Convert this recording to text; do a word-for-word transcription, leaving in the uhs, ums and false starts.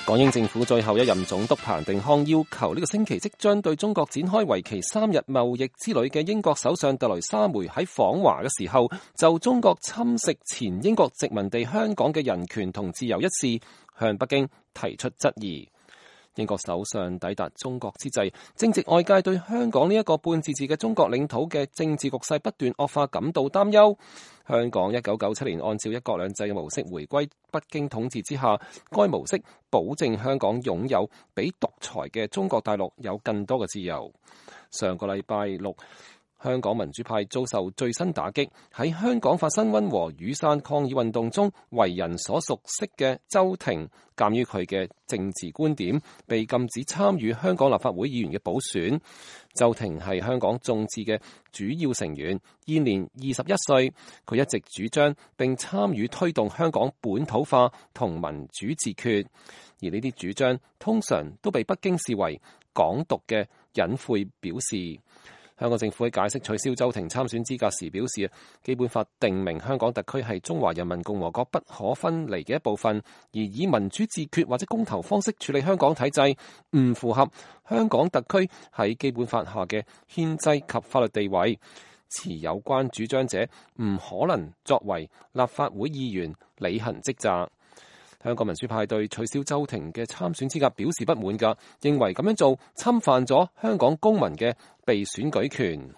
港英政府最後一任總督彭定康要求呢個星期即將對中國展開為期三日貿易之旅嘅英國首相特蕾莎梅喺訪華嘅時候，就中國侵蝕前英國殖民地香港嘅人權同自由一事，向北京提出質疑。英國首相抵達中國之際，正值外界對香港呢一個半自治嘅中國領土嘅政治局勢不斷惡化感到擔憂。香港一九九七年按照一國兩制嘅模式回歸北京統治之下，該模式保證香港擁有比獨裁嘅中國大陸有更多嘅自由。上個禮拜六，香港民主派遭受最新打擊，喺香港發生溫和雨傘抗議運動中為人所熟悉嘅周庭，鑑於佢嘅政治觀點，被禁止參與香港立法會議員嘅補選。周庭係香港眾志嘅主要成員，現年二十一歲。佢一直主張並參與推動香港本土化同民主自決，而呢啲主張通常都被北京視為港獨嘅隱晦表示。香港政府喺解釋取消周庭參選資格時表示，基本法定明香港特區係中華人民共和國不可分離嘅一部分，而以民主自決或者公投方式處理香港體制，唔符合香港特區喺基本法下嘅憲制及法律地位。持有關主張者唔可能作為立法會議員履行職責。香港民主派對取消周庭嘅參選資格表示不滿㗎，認為咁樣做侵犯咗香港公民嘅被選舉權。